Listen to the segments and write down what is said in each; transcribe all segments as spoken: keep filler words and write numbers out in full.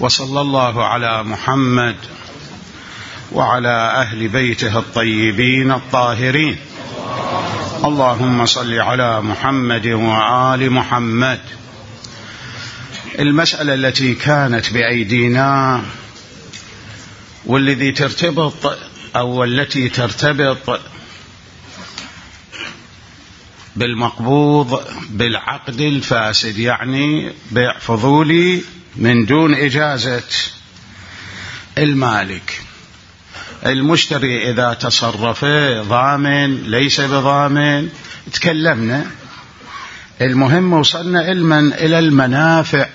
وصلى الله على محمد وعلى أهل بيته الطيبين الطاهرين. اللهم صل على محمد وآل محمد. المسألة التي كانت بأيدينا والذي ترتبط أو التي ترتبط بالمقبوض بالعقد الفاسد، يعني بيع فضولي من دون إجازة المالك. المشتري إذا تصرف ضامن ليس بضامن تكلمنا. المهم وصلنا علما إلى المنافع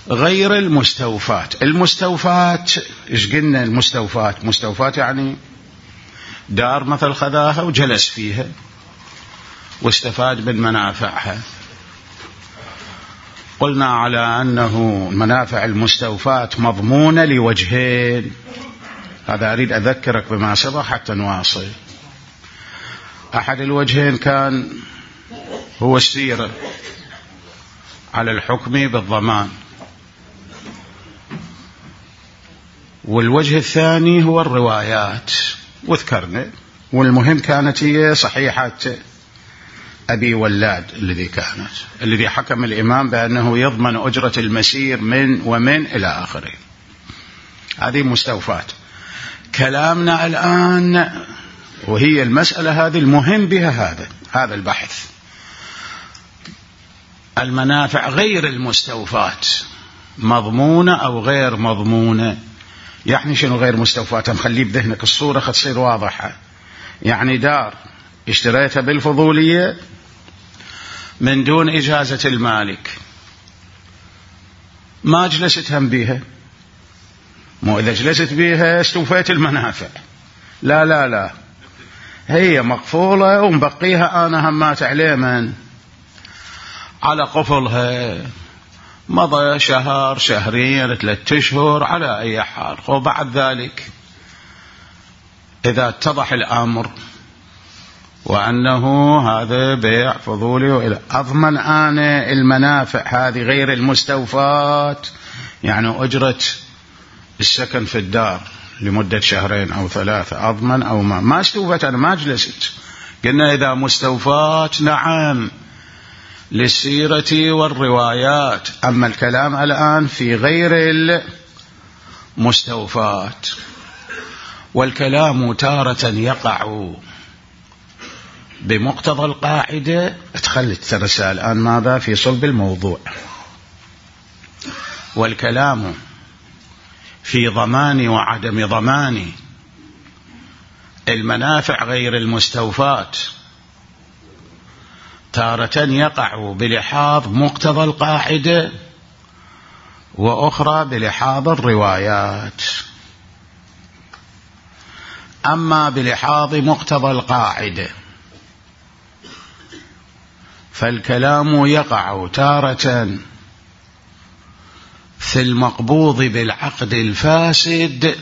غير المستوفات. المستوفات إيش قلنا؟ المستوفات مستوفات يعني دار مثل خذاها وجلس فيها واستفاد من منافعها. قلنا على أنه منافع المستوفات مضمونة لوجهين، هذا أريد أذكرك بما سبق حتى نواصل. أحد الوجهين كان هو السيرة على الحكم بالضمان، والوجه الثاني هو الروايات وذكرنا. والمهم كانت هي صحيحة أبي ولاد الذي كانت الذي حكم الإمام بأنه يضمن أجرة المسير من ومن إلى آخره. هذه مستوفات. كلامنا الآن وهي المسألة هذه المهم بها هذا هذا البحث، المنافع غير المستوفات مضمونة أو غير مضمونة. يعني شنو غير مستوفات؟ نخليه بذهنك الصورة خد تصير واضحة. يعني دار اشتريتها بالفضولية من دون إجازة المالك، ما جلست هم بيها، مو إذا جلست بيها استوفيت المنافع، لا لا لا، هي مقفولة ومبقيها أنا همات عليه من على قفلها. مضى شهر شهرين ثلاثة أشهر على أي حال، وبعد ذلك إذا اتضح الأمر وأنه هذا بيع فضولي وإلى أضمن أنا المنافع هذه غير المستوفات، يعني أجرة السكن في الدار لمدة شهرين أو ثلاثة أضمن أو ما ما استوفت أنا ما جلست. قلنا إذا مستوفات نعم للسيرة والروايات. أما الكلام الآن في غير المستوفات، والكلام تارة يقع بمقتضى القاعدة. اتخلت الرسالة الآن ماذا في صلب الموضوع. والكلام في ضمان وعدم ضمان المنافع غير المستوفات تارة يقع بلحاظ مقتضى القاعدة، وأخرى بلحاظ الروايات. أما بلحاظ مقتضى القاعدة فالكلام يقع تارة في المقبوض بالعقد الفاسد،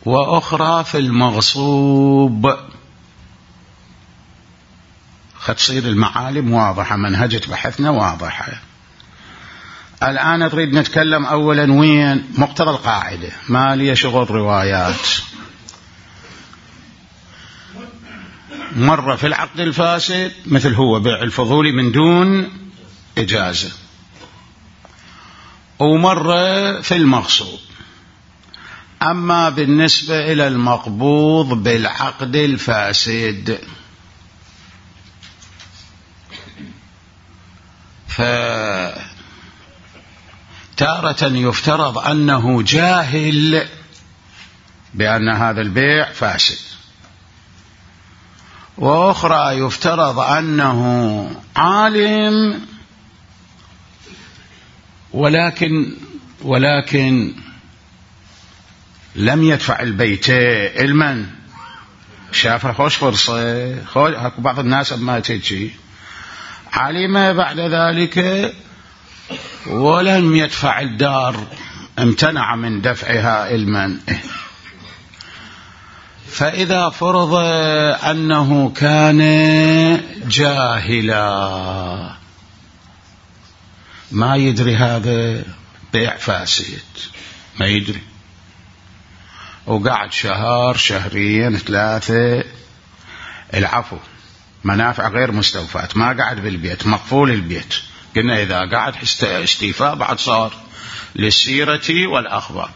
وأخرى في المغصوب. ختصير المعالم واضحة، منهجة بحثنا واضحة. الآن نريد نتكلم أولا وين مقتضى القاعدة، ما لي شغل روايات. مرة في العقد الفاسد مثل هو بيع الفضولي من دون إجازة، ومرة في المغصوب. أما بالنسبة إلى المقبوض بالعقد الفاسد فتارة يفترض أنه جاهل بأن هذا البيع فاسد، وأخرى يفترض أنه عالم ولكن ولكن لم يدفع البيت علما، شافه خوش فرصة. هاكو بعض الناس ما تجي علم بعد ذلك ولم يدفع الدار، امتنع من دفعها علما. فإذا فرض أنه كان جاهلا ما يدري هذا بيع فاسد، ما يدري، وقعد شهر شهرين ثلاثة، العفو منافع غير مستوفاة، ما قعد بالبيت، مقفول البيت. قلنا إذا قعد استيفاء بعد صار للسيرة والأخبار.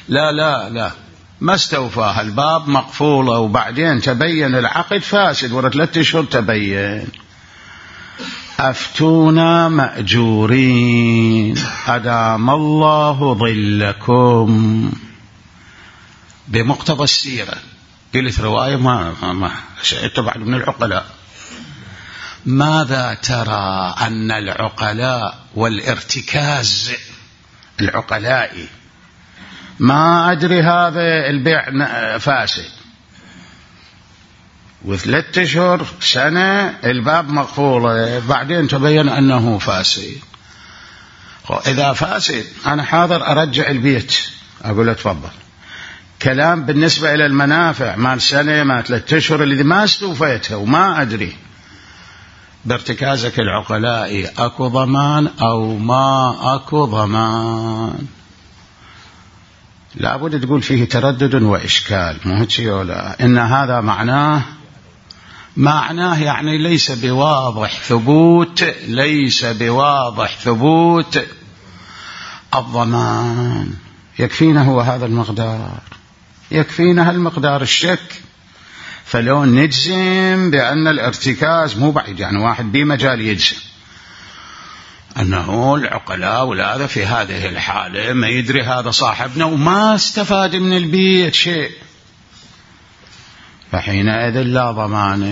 لا لا لا، ما استوفاها، الباب مقفولة، وبعدين تبين العقد فاسد ورا ثلاثة أشهر تبين. أفتونا مأجورين أدام الله ظلكم، بمقتضى السيرة. قلت رواية ما ما شئت بعد من العقلاء. ماذا ترى أن العقلاء والارتكاز العقلائي، ما أدري هذا البيع فاسد، وثلاثة أشهر سنة الباب مقفولة، بعدين تبين أنه فاسد. إذا فاسد أنا حاضر أرجع البيت، أقول له تفضل. كلام بالنسبة إلى المنافع ما سنة ما ثلاثة أشهر اللي ما استوفيتها وما أدري، بارتكازك العقلائي أكو ضمان أو ما أكو ضمان؟ لابد تقول فيه تردد وإشكال، مو هيك ولا إن هذا معناه معناه يعني ليس بواضح ثبوت ليس بواضح ثبوت الضمان. يكفينا هو هذا المقدار، يكفينا هالمقدار الشك. فلو نجزم بأن الارتكاز مو بعيد، يعني واحد بمجال يجزم أنه العقلاء ولا هذا في هذه الحالة ما يدري هذا صاحبنا وما استفاد من البيت شيء، فحينئذ لا ضمان،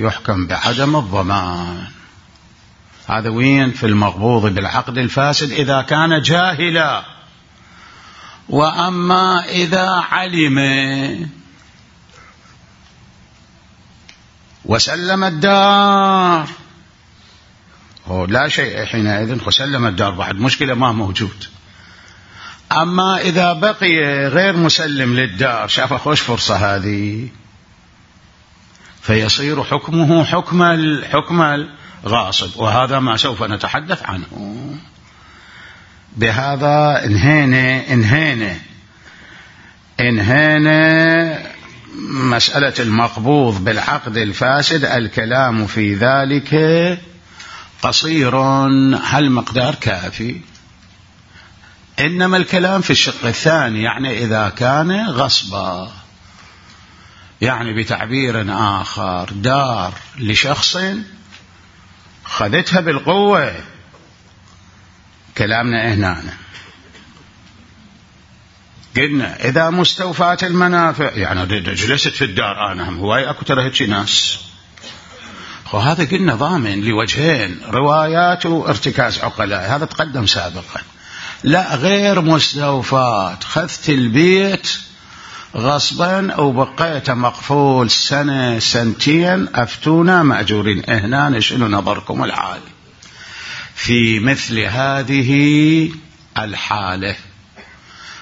يحكم بعدم الضمان. هذا وين؟ في المقبوض بالعقد الفاسد إذا كان جاهلا. وأما إذا علم وسلم الدار، هو لا شيء حينئذ، وسلم الدار بعد مشكلة ما موجود. أما إذا بقي غير مسلم للدار، شاف خوش فرصة هذه، فيصير حكمه حكم الحكم الغاصب، وهذا ما سوف نتحدث عنه. بهذا انهينا انهينا انهينا مسألة المقبوض بالعقد الفاسد. الكلام في ذلك قصير، هل مقدار كافي؟ إنما الكلام في الشق الثاني، يعني إذا كان غصبا، يعني بتعبير آخر دار لشخص خذتها بالقوة. كلامنا هنا قلنا إذا مستوفات المنافع، يعني جلست في الدار أنا هم هواي أكو ترى هيك ناس، وهذا قلنا ضامن لوجهين، روايات وارتكاز عقلاء، هذا تقدم سابقا. لا، غير مستوفات، خذت البيت غصبا أو بقيت مقفول سنة سنتين، أفتونا مأجورين. هنا شنو نظركم العالي في مثل هذه الحالة؟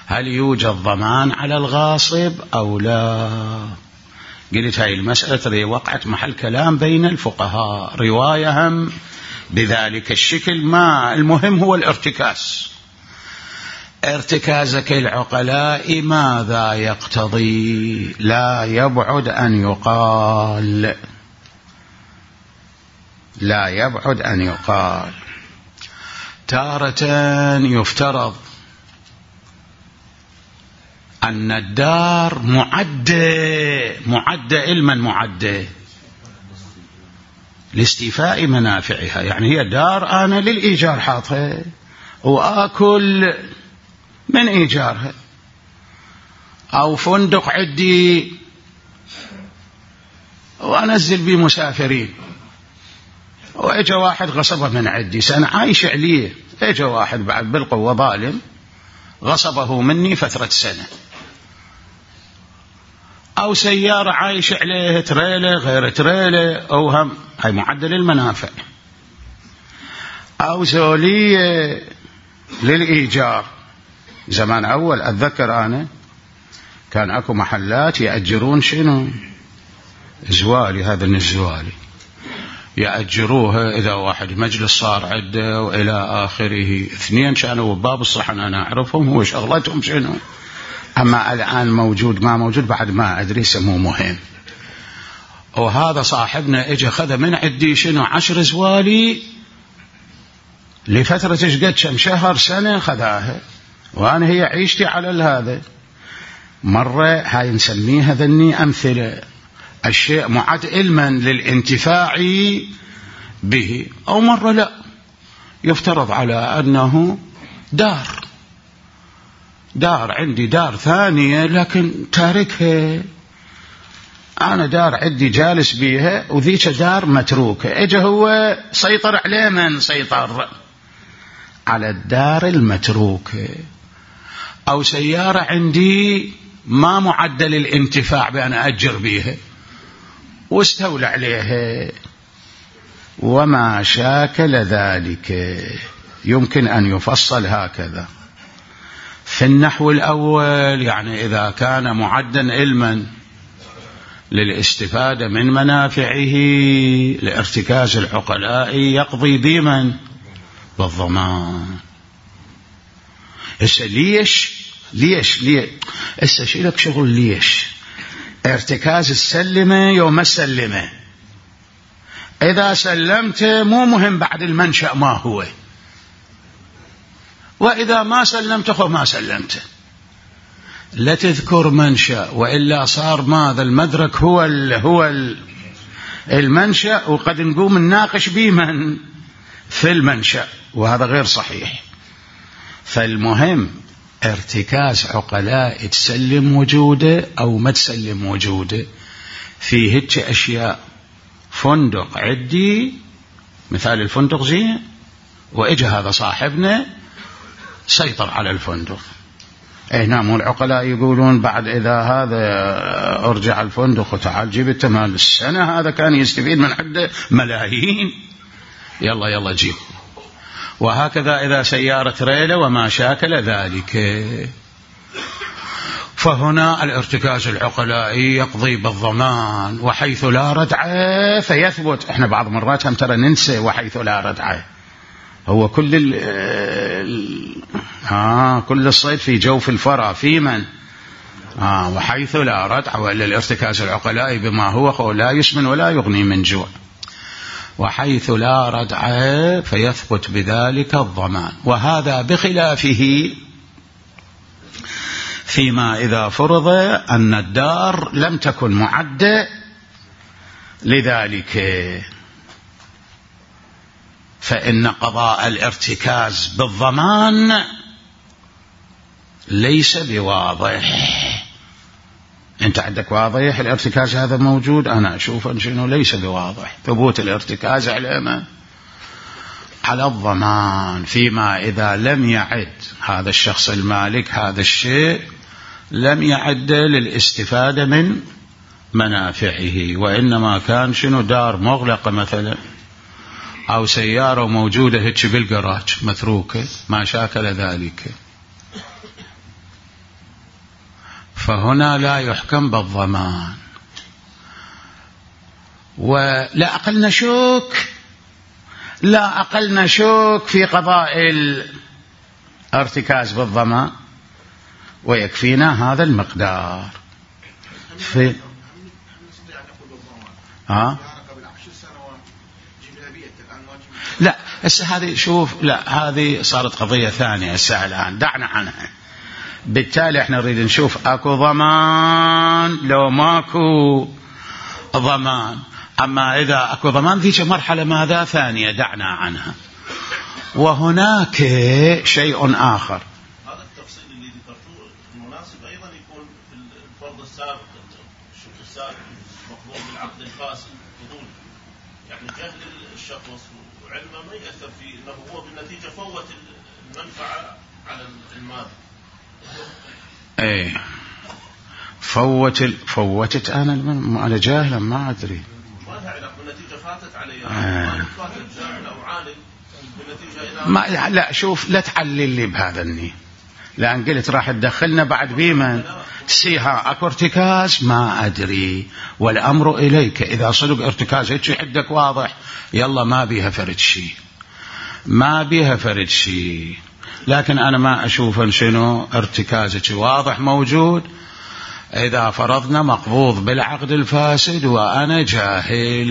هل يوجد ضمان على الغاصب أو لا؟ قلت هاي المسألة وقعت محل كلام بين الفقهاء، رواية هم بذلك الشكل. ما المهم هو الارتكاز. ارتكازك العقلاء ماذا يقتضي؟ لا يبعد أن يقال لا يبعد أن يقال تارة يفترض أن الدار معدة معدة علما معدة لاستيفاء منافعها، يعني هي دار أنا للإيجار حاطها وآكل من إيجارها، أو فندق عدي وأنزل بي مسافرين، وإجا واحد غصبه من عدي سنة عايش عليه، إجا واحد بعد بالقوة ظالم غصبه مني فترة سنة، أو سيارة عايش عليه تريلة غير تريلة، أو هم هاي معدل المنافع، أو زولية للإيجار. زمان أول أتذكر أنا كان أكو محلات يأجرون شنو زوالي، هذا الزوالي يأجروها إذا واحد مجلس صار عده وإلى آخره. اثنين كانوا باب الصحن أنا أعرفهم هو شغلتهم شنو، أما الآن موجود ما موجود بعد ما أدري، سموه مهم. وهذا صاحبنا إجا خذ من عدي شنو عشر زوالي لفترة قد كم شهر سنة خذاها، وأنا هي عيشتي على هذا. مرة هاي نسميها ذني أمثلة، الشيء معد علما للانتفاع به، أو مرة لا، يفترض على أنه دار دار عندي دار ثانية لكن تاركها، أنا دار عندي جالس بيها وذيك دار متروكة، إجا هو سيطر عليه، من سيطر على الدار المتروكة. أو سيارة عندي ما معدل الانتفاع بأن أجر بيها واستولى عليها وما شاكل ذلك، يمكن أن يفصل هكذا. في النحو الأول يعني إذا كان معدا علما للاستفادة من منافعه لارتكاز العقلاء يقضي بمن؟ بالضمان. هسه ليش ليش ليش هسه شيلك شغل ليش ارتكاز السلمة يوم السلمة، إذا سلمت مو مهم بعد المنشأ ما هو، وإذا ما سلمت خو ما سلمت، لا تذكر منشأ وإلا صار ماذا المدرك هو ال هو ال المنشأ، وقد نقوم نناقش بمن في المنشأ، وهذا غير صحيح. فالمهم ارتكاز عقلاء تسلم وجوده أو ما تسلم وجوده. في هيك أشياء فندق عدي مثال الفندق زين، وإجا هذا صاحبنا سيطر على الفندق، اي نعم، والعقلاء يقولون بعد إذا هذا ارجع الفندق وتعال جيب التمال السنة، هذا كان يستفيد من حده ملايين، يلا يلا جيب. وهكذا إذا سيارة ريلة وما شاكل ذلك. فهنا الارتكاز العقلائي يقضي بالضمان، وحيث لا ردعه فيثبت. احنا بعض مرات هم ترى ننسى وحيث لا ردعه، هو كل ال ها كل الصيد في جوف الفرا في من ها وحيث لا ردعه، وإلا الارتكاز العقلائي بما هو لا يسمن ولا يغني من جوع. وحيث لا ردعه فيثبت بذلك الضمان. وهذا بخلافه فيما إذا فرض أن الدار لم تكن معدة لذلك، فإن قضاء الارتكاز بالضمان ليس بواضح. أنت عندك واضح الارتكاز هذا موجود، أنا أشوف أن شنو ليس بواضح. ثبوت الارتكاز على ما؟ على الضمان، فيما إذا لم يعد هذا الشخص المالك هذا الشيء، لم يعد للاستفادة من منافعه، وإنما كان شنو دار مغلقة مثلا، أو سيارة موجودة هيك بالجراج متروكة ما شاكل ذلك، فهنا لا يحكم بالضمان. ولا أقل نشك لا أقل نشك في قضاء الارتكاز بالضمان، ويكفينا هذا المقدار. في ها لا هسه هذه شوف، لا هذه صارت قضية ثانية هسه الآن، دعنا عنها. بالتالي احنا نريد نشوف اكو ضمان لو ماكو ضمان. اما اذا اكو ضمان ذيك مرحلة ماذا ثانية دعنا عنها. وهناك شيء اخر، هذا التفصيل اللي ذكرتوه المناسب ايضا يكون في الفرض السابق، الشق السابق مفروض بالعقد الفاسد فضول، يعني جهل الشخص وعلمه ما يأثر في انه هو بالنتيجة فوت المنفعة على المال. ايه فوت ال... فوتت انا الم... انا جاهلا ما ادري، ما لها علاقه بالنتيجه فاتت علي، آه. فاتت جاهل او عالم بالنتيجه. ما لا شوف لا تعلل لي بهذا الني، لأن قلت راح تدخلنا بعد بيمن تسيها أكو ارتكاز ما أدري، والأمر إليك. إذا صدق ارتكاز هيك حدك واضح يلا ما بيها فرد شيء، ما بيها فرد شيء. لكن أنا ما أشوف أن شنو ارتكازك واضح موجود. إذا فرضنا مقبوض بالعقد الفاسد وأنا جاهل،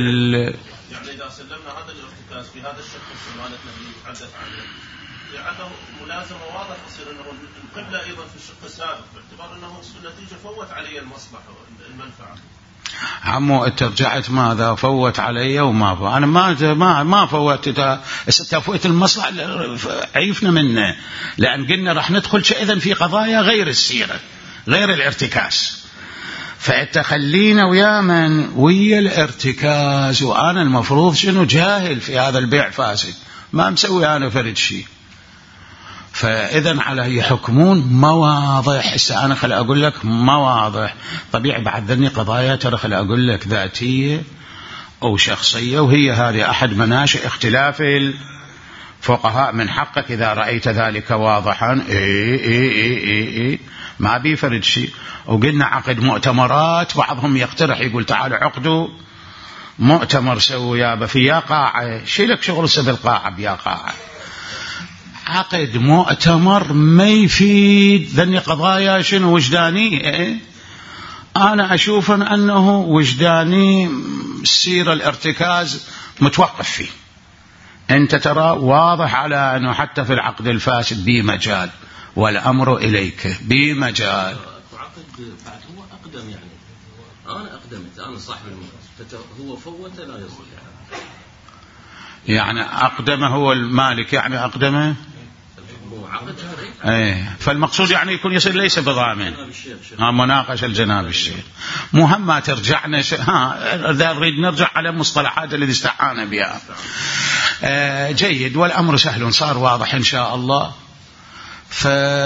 يعني إذا سلمنا هذا الارتكاز في هذا الشخص مالتنا اللي نتحدث عنه لعله ملازمة واضح يصير أنه القبلة أيضا في الشق السابق، باعتبار أنه النتيجة فوت علي المصلحة والمنفعة. عمو انت رجعت ماذا فوت علي وما فوت. انا ما ما ما فوت، تفوت المصلحه عيفنا منه، لان قلنا راح ندخل اذا في قضايا غير السيره غير الارتكاز. فانت خلينا ويا من ويا الارتكاز، وانا المفروض شنو جاهل في هذا البيع فاسد، ما مسوي انا فرد شيء. فإذا على يحكمون مواضح. هسه أنا خل أقول لك مواضح طبيعي، بعد ذني قضايا ترى خل أقول لك ذاتية أو شخصية، وهي هذه أحد مناشئ اختلاف الفقهاء. من حقك إذا رأيت ذلك واضحا إيه إيه إيه إيه إيه ما بيفرد شيء. وقلنا عقد مؤتمرات، بعضهم يقترح يقول تعالوا عقدوا مؤتمر سووا يابا في يا قاعة، شيلك شغل سب القاعة بيا قاعة. عقد مؤتمر ما يفيد ذني قضايا شنو وجدانية. إيه؟ أنا أشوف أنه وجداني، سير الارتكاز متوقف فيه. أنت ترى واضح على أنه حتى في العقد الفاسد بمجال، والأمر إليك بمجال. عقد بعد هو أقدم، يعني أنا أقدمت، أنا صاحب المال، هو فوت لا يصح يعني أقدمه هو المالك، يعني أقدمه ايه. فالمقصود يعني يكون يصير ليس بضامن. ها مناقشه الجناب الشيخ مهم. ما ترجعنا ش... ها اذا نريد نرجع على مصطلحات الذي استعان بها. آه جيد، والامر سهل صار واضح ان شاء الله. فالنتيجه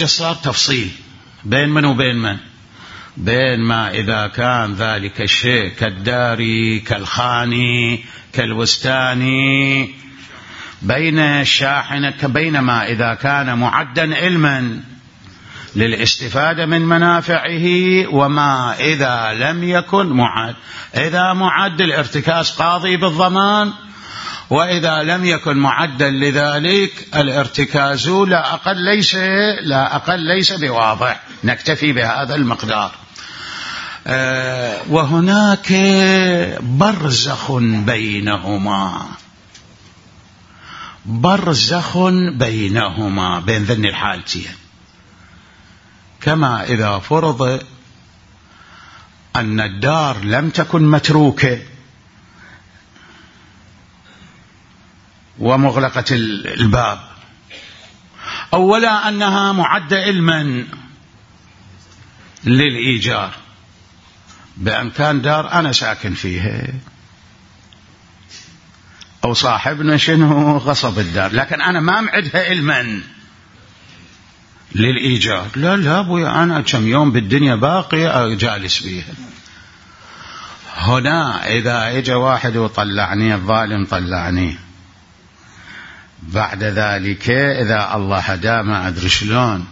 صار تفصيل بين من وبين من، بين ما اذا كان ذلك الشيء كالداري كالخاني كالوستاني بين الشاحنة، بينما إذا كان معدا علما للاستفادة من منافعه، وما إذا لم يكن معد. إذا معد الارتكاز قاضي بالضمان، وإذا لم يكن معدا لذلك الارتكاز لا أقل ليس لا أقل ليس بواضح. نكتفي بهذا المقدار. أه وهناك برزخ بينهما، برزخ بينهما بين ذني الحالتين. كما إذا فرض أن الدار لم تكن متروكة ومغلقة الباب، أو ولا أنها معدة علما للإيجار، بأن كان دار أنا ساكن فيها أو صاحبنا شنو غصب الدار، لكن أنا ما معدها علما للإيجار. لا لا أبويا أنا كم يوم بالدنيا باقي جالس بيها. هنا إذا إجا واحد وطلعني، الظالم طلعني، بعد ذلك إذا الله هدا ما أدري شلون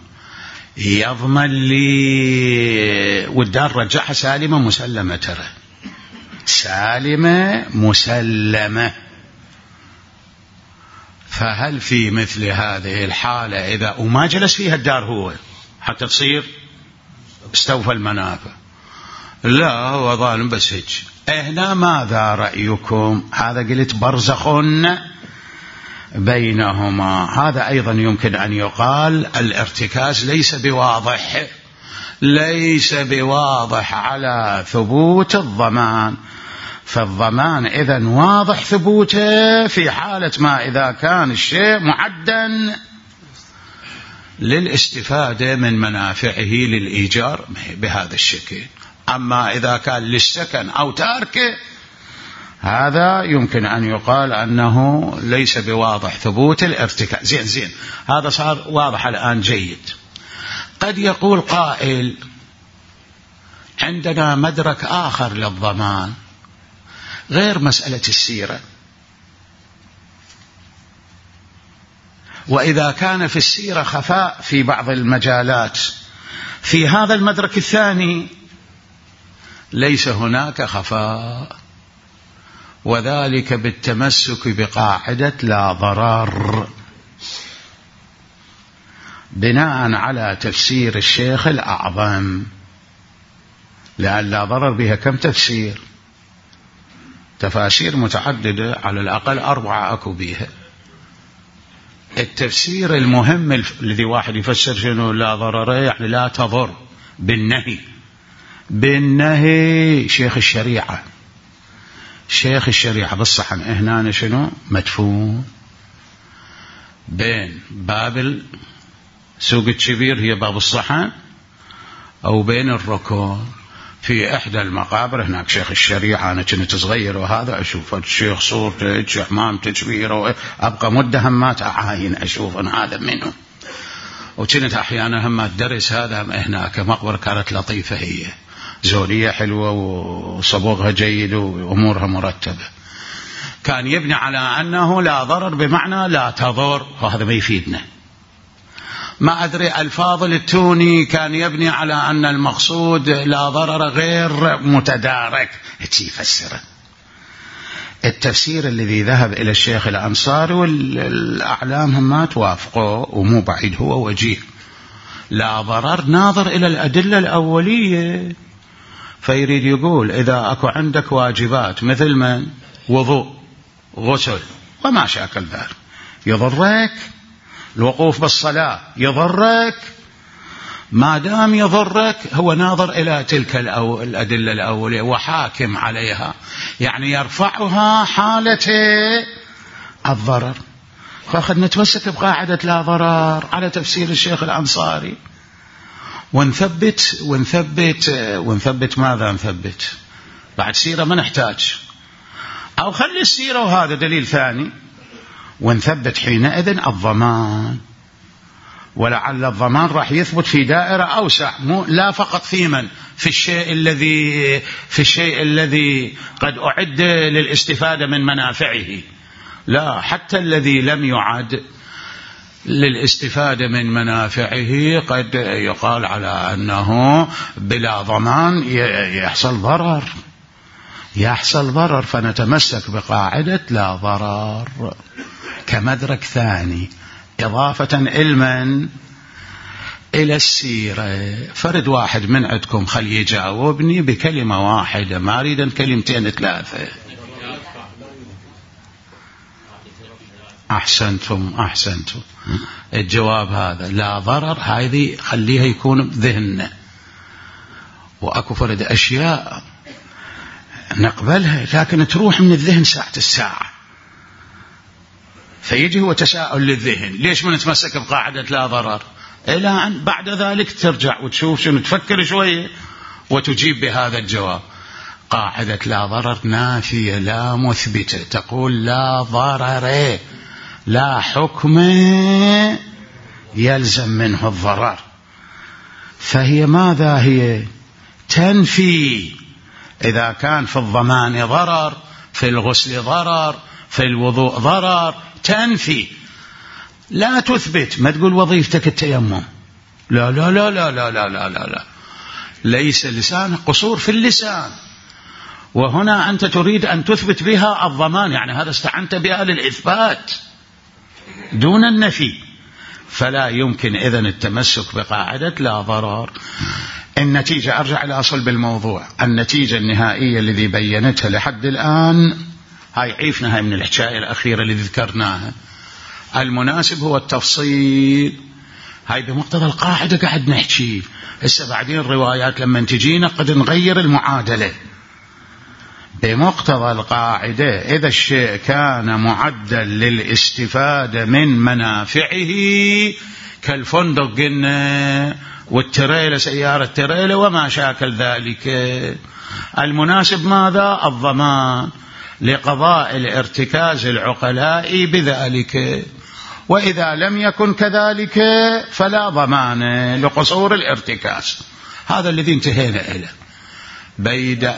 يضمن لي، والدار رجعها سالمة مسلمة، ترى سالمة مسلمة. فهل في مثل هذه الحالة إذا وما جلس فيها الدار هو حتى تصير استوفى المنافع؟ لا هو ظالم بس هيك. هنا ماذا رأيكم؟ هذا قلت برزخ بينهما. هذا أيضا يمكن أن يقال الارتكاز ليس بواضح، ليس بواضح على ثبوت الضمان. فالضمان إذن واضح ثبوته في حالة ما إذا كان الشيء معدا للاستفادة من منافعه للإيجار بهذا الشكل. أما إذا كان للسكن أو تاركه، هذا يمكن أن يقال أنه ليس بواضح ثبوت الارتكاز. زين زين هذا صار واضح الآن جيد. قد يقول قائل عندنا مدرك آخر للضمان غير مسألة السيرة، وإذا كان في السيرة خفاء في بعض المجالات، في هذا المدرك الثاني ليس هناك خفاء، وذلك بالتمسك بقاعدة لا ضرر بناء على تفسير الشيخ الأعظم، لأن لا ضرر بها كم تفسير؟ تفاسير متعددة، على الأقل أربعة أكو بيها. التفسير المهم الذي واحد يفسر شنو لا ضرر، يعني لا تضر بالنهي، بالنهي شيخ الشريعة، شيخ الشريعة بالصحن هنا شنو مدفون بين باب سوق الكبير هي باب الصحن أو بين الركن في إحدى المقابر هناك شيخ الشريعة. أنا كنت صغير وهذا أشوف الشيخ صورته حمامته كبيرة، أبقى مدة همات أعاين أشوف أن هذا منه، وكنت أحيانا همات درس هذا هناك مقبرة كانت لطيفة، هي زولية حلوة وصبوغها جيد وأمورها مرتبة. كان يبني على أنه لا ضرر بمعنى لا تضر، وهذا ما يفيدنا. ما أدري الفاضل التوني كان يبني على أن المقصود لا ضرر غير متدارك، يفسره. التفسير الذي ذهب إلى الشيخ الأنصاري والأعلام هم ما توافقوا، ومو بعيد هو وجيه. لا ضرر ناظر إلى الأدلة الأولية، فيريد يقول إذا أكو عندك واجبات مثل من وضوء غسل وما شاكل ذلك يضرك، الوقوف بالصلاة يضرك، ما دام يضرك هو ناظر إلى تلك الأدلة الأولية وحاكم عليها، يعني يرفعها حالة الضرر. فأخذ نتوسك بقاعدة لا ضرر على تفسير الشيخ الأنصاري، ونثبت ونثبت ونثبت ماذا نثبت بعد سيرة ما نحتاج، أو خلي السيرة وهذا دليل ثاني، ونثبت حينئذ الضمان. ولعل الضمان راح يثبت في دائرة أوسع، مو لا فقط في من في الشيء الذي في الشيء الذي قد أعد للاستفادة من منافعه، لا حتى الذي لم يعد للاستفادة من منافعه قد يقال على أنه بلا ضمان يحصل ضرر، يحصل ضرر. فنتمسك بقاعدة لا ضرر كمدرك ثاني، إضافة علما إلى السيرة. فرد واحد من عندكم خل يجاوبني بكلمة واحدة، ما أريد كلمتين ثلاثة. أحسنتم أحسنتم. الجواب هذا لا ضرر، هذه خليها يكون بذهننا. وأكو فرد أشياء نقبلها لكن تروح من الذهن ساعة الساعة، فيجي هو تساؤل للذهن، ليش ما نتمسك بقاعدة لا ضرر؟ إلى أن بعد ذلك ترجع وتشوف شنو، تفكر شوية وتجيب بهذا الجواب. قاعدة لا ضرر نافية لا مثبتة، تقول لا ضرر لا حكم يلزم منه الضرر، فهي ماذا هي؟ تنفي. إذا كان في الضمان ضرر، في الغسل ضرر، في الوضوء ضرر، تنفي لا تثبت. ما تقول وظيفتك التيمم، لا لا لا لا لا لا لا لا, لا. ليس اللسان قصور في اللسان، وهنا أنت تريد أن تثبت بها الضمان، يعني هذا استعنت بها للإثبات دون النفي، فلا يمكن إذن التمسك بقاعدة لا ضرر. النتيجة، أرجع إلى أصل بالموضوع، النتيجة النهائية الذي بينتها لحد الآن هاي عيفنا هاي من الحكاية الأخيرة اللي ذكرناها. المناسب هو التفصيل، هاي بمقتضى القاعدة قاعد نحكي. هسه بعدين الروايات لما تجينا قد نغير المعادلة. بمقتضى القاعدة إذا الشيء كان معدل للاستفادة من منافعه كالفندق قلنا والتريلة سيارة تريلة وما شاكل ذلك، المناسب ماذا؟ الضمان لقضاء الارتكاز العقلاء بذلك، وإذا لم يكن كذلك فلا ضمان لقصور الارتكاز. هذا الذي انتهينا إليه. بيد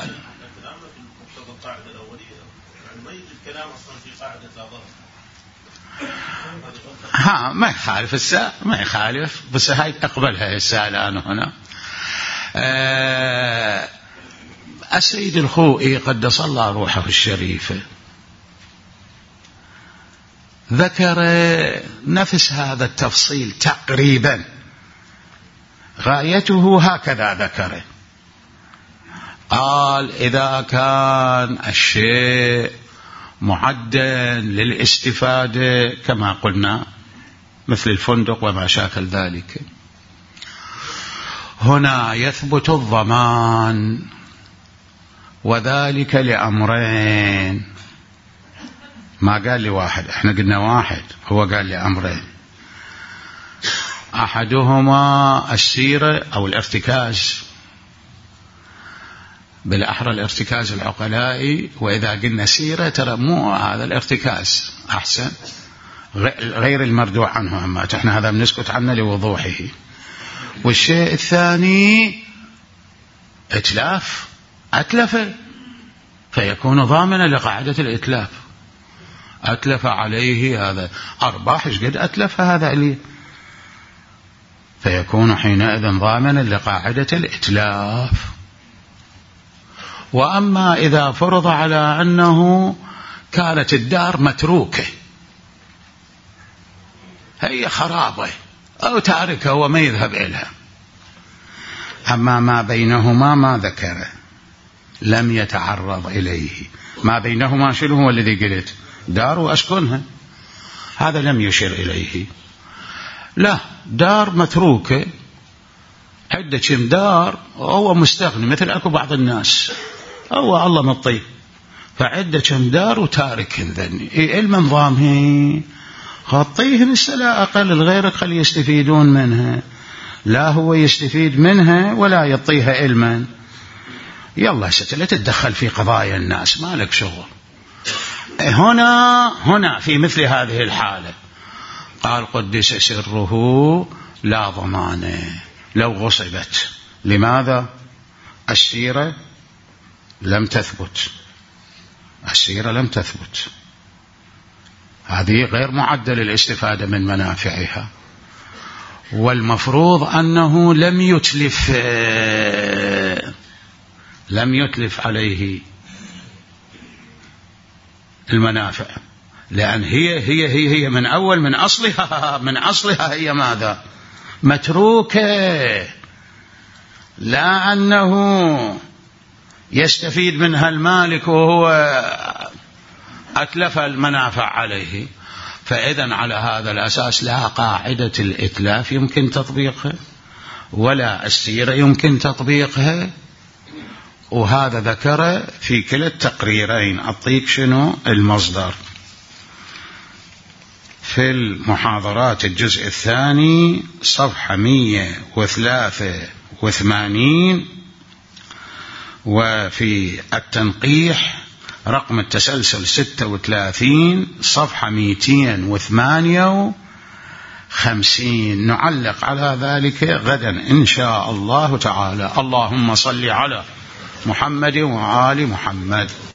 ها ما يخالف السائل، ما يخالف، بس هاي أقبلها السائل أنا هنا. أه السيد الخوئي قدس الله روحه الشريفة ذكر نفس هذا التفصيل تقريبا، غايته هكذا ذكره، قال إذا كان الشيء معدا للاستفادة كما قلنا مثل الفندق وما شاكل ذلك، هنا يثبت الضمان، وذلك لأمرين. ما قال لي واحد، احنا قلنا واحد، هو قال لي أمرين. أحدهما السيرة أو الارتكاز، بالأحرى الارتكاز العقلائي، وإذا قلنا سيرة ترى مو هذا الارتكاز أحسن، غير المردوع عنه، أما احنا هذا بنسكت عنه لوضوحه. والشيء الثاني إتلاف، أتلف فيكون ضامنا لقاعدة الإتلاف، أتلف عليه هذا أرباح إيش قد أتلف هذا اللي، فيكون حينئذ ضامنا لقاعدة الإتلاف. وأما إذا فرض على أنه كانت الدار متروكة، هي خرابة أو تاركة وما يذهب إليها، أما ما بينهما ما ذكره، لم يتعرض إليه. ما بينهما شنو هو الذي قلت؟ دار وأسكنها، هذا لم يشر إليه. لا، دار متروكة، عدة كم دار، هو مستغني مثل أكو بعض الناس، هو الله مطيه، فعدة كم دار وتارك ذني، إيه المنظام هي خطيهن السلا أقل الغيرك خلي يستفيدون منها، لا هو يستفيد منها ولا يعطيها علما. يلا ست لا تتدخل في قضايا الناس، ما لك شغل. هنا هنا في مثل هذه الحالة قال قدس سره لا ضمان لو غصبت. لماذا؟ السيرة لم تثبت، السيرة لم تثبت، هذه غير معدل الاستفادة من منافعها، والمفروض أنه لم يتلف لم يتلف عليه المنافع، لأن هي هي هي هي من أول من أصلها من أصلها هي ماذا؟ متروكة، لا أنه يستفيد منها المالك وهو أتلف المنافع عليه. فإذن على هذا الأساس لا قاعدة الإتلاف يمكن تطبيقها ولا السيرة يمكن تطبيقها، وهذا ذكر في كلا التقريرين. أعطيك شنو المصدر في المحاضرات الجزء الثاني صفحة مية وثلاثة وثمانين، وفي التنقيح رقم التسلسل ستة وثلاثين صفحة مئتين وثمانية وخمسين. نعلق على ذلك غدا إن شاء الله تعالى. اللهم صل على محمد وآل محمد.